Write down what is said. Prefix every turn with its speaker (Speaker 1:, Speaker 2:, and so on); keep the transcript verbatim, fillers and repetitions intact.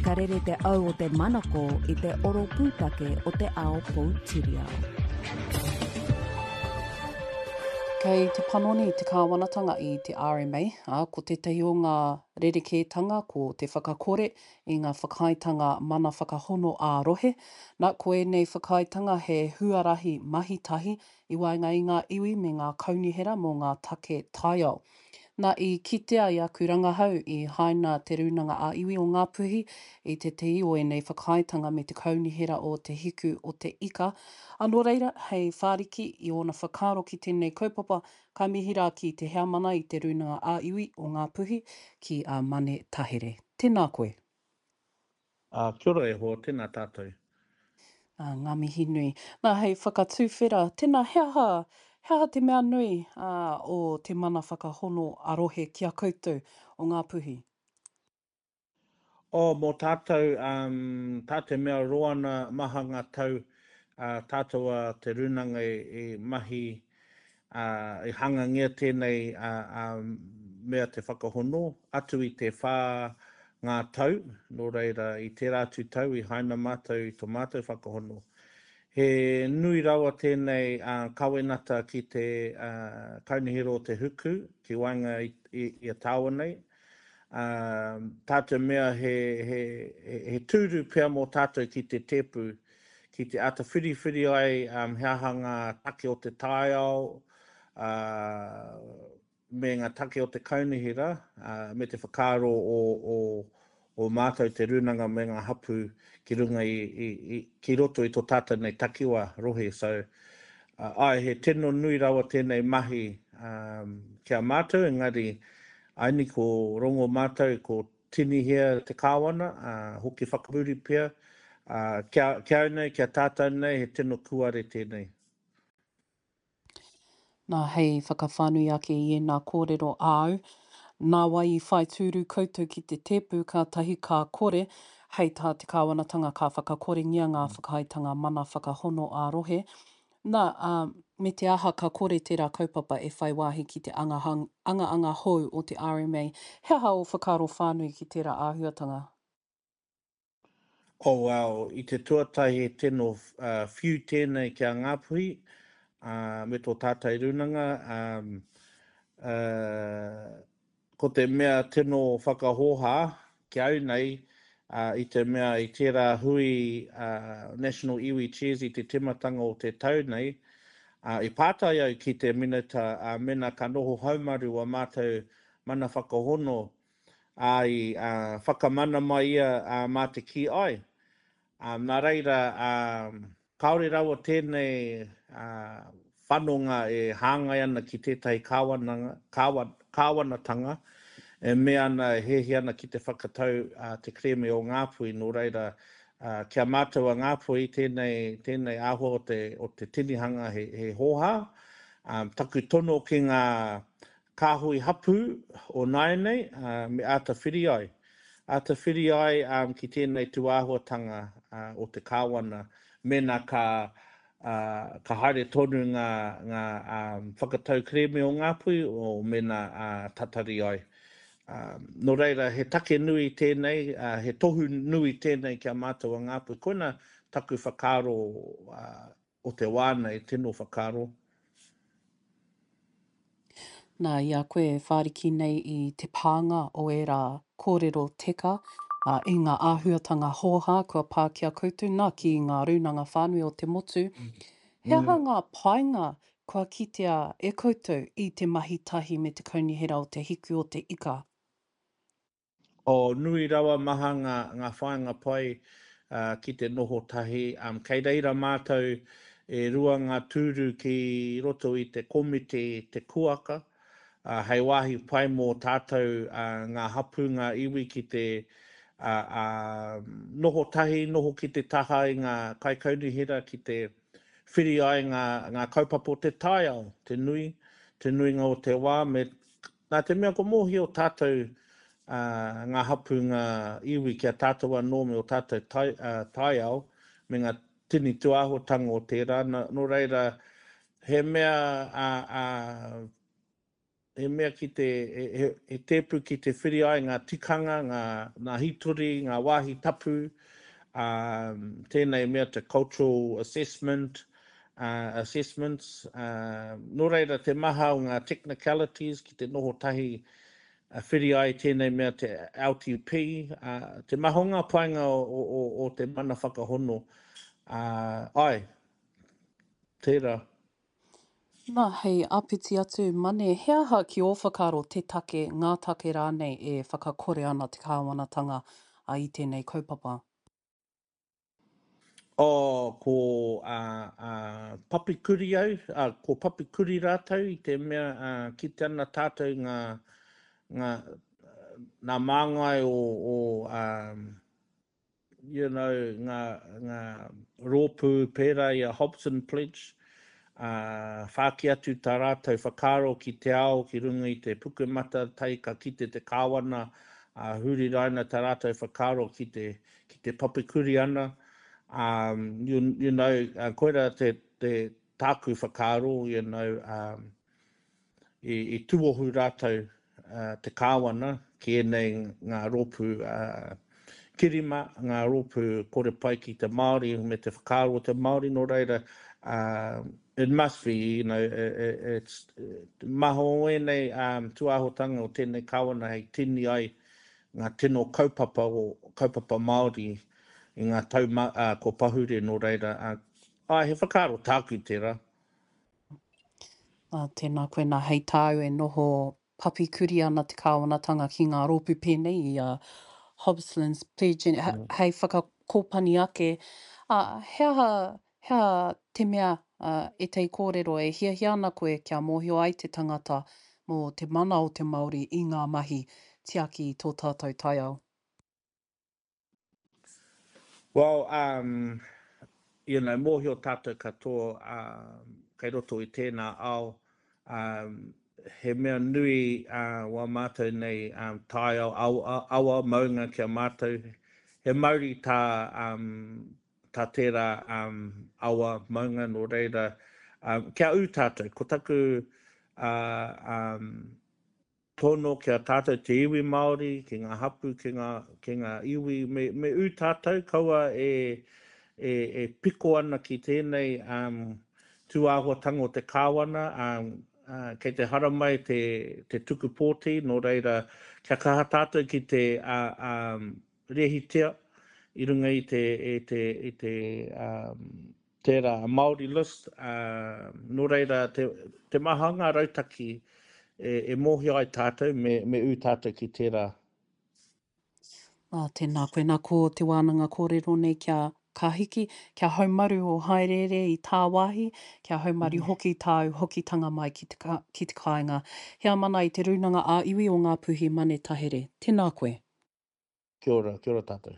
Speaker 1: Ka rere te au o te manako i te oro pūtake o te ao poutiriao.
Speaker 2: Kei te panoni te kāwanatanga i te R M A, ā, ko tētahi o ngā rerekētanga ko te whakakore i ngā whakaaetanga mana whakahono ā-rohe. Na, ko ēnei whakaaetanga he huarahi mahi tahi i waenga i ngā iwi me ngā kaunihera mō ngā take taiao. Na, i kitea i aku rangahau i haina Te Rūnanga ā-Iwi o Ngāpuhi i tētahi o ēnei whakaaetanga me te Kaunihera o Te Hiku o Te Ika. Ā, nō reira, hei whāriki i ōna whakaaro ki tēnei kaupapa, ka mihi rā ki te heamana i Te Rūnanga ā-Iwi o Ngāpuhi, ki a Mane Tahere. Tēnā koe.
Speaker 3: Ā, kia ora e hoa, tēnā tātou.
Speaker 2: Ā, ngā mihi nui. Nā, hei whakatuwhera, tēnā, he aha, he aha te mea nui, ā, o te mana whakahono a-rohe ki a koutou o Ngāpuhi?
Speaker 3: Oh, mō tātou, um, tā te mea roa ana maha ngā tau, ā, tātou a Te Rūnanga i, i mahi, ā, i hangangia tēnei, ā, ā, mea te whakahono, atu i te whā ngā tau, nō reira, i tērā atu tau i haina mātou i tō mātou whakahono. He nui rawa tēnei kawenata ki te Kaunihera o Te Huku, ki waenga i, i, i a tāua nei. Ā, tā te mea he, he, he tūru pea mō tātou ki te tēpu, ki te āta whiriwhiri ai he aha ngā take o te taiao, ā, me ngā take o te kaunihera, ā, me te whakaaro o, o, o mātou te rūnanga me ngā hapū ki runga i, i, i, ki roto i tō tātou nei takiwā rohe. So, uh, āe, he tino nui rawa tēnei mahi um, ki a mātou, engari aini ko rongo mātou, ko tinihia te kāwana, uh, hoki whakamuri pea, uh, kia, kia au nei, kia tātou nei, he tino kuare tēnei.
Speaker 2: Nā, hei whakawhānui ake i ēnā kōrero āu, nā wai i whai tūru koutou ki te tēpu kātahi ka kore, hei tā te kāwanatanga ka whakakorengia ngā whakaaetanga mana whakahono ā-rohe. Nā, ā, me te aha ka kore tērā kaupapa e whai wāhi ki te angaanga hou o te R M A. He aha ō whakaaro whānui ki tērā āhuatanga?
Speaker 3: Oh wow, i te tuatahi he tino uh, whiu tēnei ki a Ngāpuhi uh, me tō tātai rūnanga. Um, uh, ko te mea tino whakahōhā ki au nei, uh, i te mea i tērā hui uh, National Iwi Chairs i te timatanga o te tau nei, uh, i pātai au ki te minita uh, mena ka noho haumaru a mātou mana whakahono, ā, i uh, whakamana mai ia uh, mā te kī ai. Um, nā reira, um, kāore rawa tēnei uh, whanonga e hāngai ana ki tētahi kāwananga, kāwan, kāwanatanga e mea ana e hiahia ana ki te whakatau uh, te kerēme o Ngāpuhi, nō reira, uh, kia mātou a Ngāpuhi tēnei, tēnei āhua o te, o te tinihanga he, he hōhā. Um, taku tono ki ngā kāhui hapū o nāianei, uh, me āta whiri ai. Āta whiri ai um, ki tēnei tūāhuatanga uh, o te kāwana, mēnā ka, uh, ka haere tonu ngā, ngā um, whakatau kerēme o Ngāpuhi o mēnā uh, tatari ai. Um, nō reira, he take nui tēnei, uh, he tohu nui tēnei ki a mātou a Ngāpuhi. Koina taku whakaaro uh, o te wā nei, tino whakaaro.
Speaker 2: Nā, i a koe e whāriki nei i te pānga o ērā kōrero teka, ā, i ngā āhuatanga hōhā kua pā ki a koutou, nā, ki ngā rūnanga whānui o te motu, he aha ngā painga kua kitea e koutou i te mahi tahi me te Kaunihera o Te Hiku o Te Ika?
Speaker 3: Oh, nui rawa maha ngā, ngā whāinga pai uh, ki te noho tahi. Um, kei reira mātou e rua ngā tūru ki roto i te komiti te kuaka, uh, hei wāhi pai mō tātou uh, ngā hapū, ngā iwi ki te uh, uh, noho tahi, noho ki te taha i ngā kaikaunihera ki te whiri ai ngā, ngā kaupapa o te taiao, te nui, te nuinga o te wā, me, nā te mea ko mōhio tātou uh, ngā hapū, ngā iwi ki a tātou anō me o tātou tai, uh, taiao, me ngā tini tūāhuatanga o tērā. Nā, nō reira, he mea uh, uh, he mea ki te, he, he, he tēpu ki te whiri ai ngā tikanga, ngā, ngā hitori, ngā wāhi tapu, um, tēnei mea te cultural assessment, uh, assessments. Uh, nō reira te maha o ngā technicalities ki te noho tahi uh, whiri ai tēnei mea te L T P, uh, te maha o ngā painga o, o, o, o te mana whakahono. Uh, ai, tērā.
Speaker 2: Nā, hei āpiti atu, Mane, he aha ki ō whakaaro te take, ngā take rānei e whakakore ana te kāwanatanga i tēnei kaupapa?
Speaker 3: Oh, ko uh, uh, Papikuri au, uh, ko Papikuri rātou i te mea uh, ki te ana tātou ngā, ngā, ngā māngai o, o um, you know, ngā, ngā rōpū pērā i a Hobson Pledge, uh, whāki atu tā rātou whakaaro ki te ao, ki runga i te pukumata, tai ka kite te kāwana, uh, huri raina tā rātou whakaaro ki te, ki te papikuri ana. Um, you, you know, uh, koira te, te tāku whakaaro, you know, um, i, i tuohu rātou uh, te kāwana ki ēnei ngā rōpū uh, kirima, ngā rōpū kore pai ki te Māori me te whakaaro o te Māori, nō reira, uh, it must be, you know, it, it's maha o ēnei um, tūāhotanga o tēnei kāwana hei tini ai ngā tino kaupapa o kaupapa Māori i ngā tau ma, uh, ko pahure nō reira. Uh, ai, he whakaaro tāku tērā.
Speaker 2: Ā, tēnā koe nā, hei tāu e noho papikuri ana te kāwanatanga ki ngā rōpū pēnei i a Hobson's Pledge, mm. hei whakakōpani ake. Uh, he aha, he aha te mea uh, e te kōrero e hiahia ana koe kia mōhio ai te tangata mō te mana o te Māori i ngā mahi tiaki i tō tātou taiao?
Speaker 3: Well, um, you know, mōhio tātou katoa um, kei roto i tēnā ao, um, he mea nui uh, wā mātou nei um, taiao, awa, awa maunga kia mātou. He mauri tā, um, tā tērā um, awa maunga nō reira. Um, kia ū tātou, ko taku uh, um, tono kia tātou te iwi Māori, ki ngā hapu, ki ngā, ki ngā iwi, me, me ū tātou, kaua e, e, e piko ana ki tēnei um, tūāhuatanga o te kāwana, um, uh, kei te haramai te, te tuku pōti, nō reira, kia kaha tātou ki te uh, um, rehitia i runga i te, i te, i te um, tērā Māori list, uh, nō reira te, te maha ngā rautaki e, e mōhio ai tātou me, me ū tātou ki tērā.
Speaker 2: Ā, tēnā koe nā, ko te wānanga kōrero nei kia ka hiki, kia haumaru o haereere i tāwāhi, kia haumaru mm. hoki tāu hokitanga mai ki te, ka, ki te kāinga. Heamana i te Rūnanga ā-Iwi o Ngāpuhi Mane Tahere. Tēnā koe.
Speaker 3: Kia ora, kia ora tātou.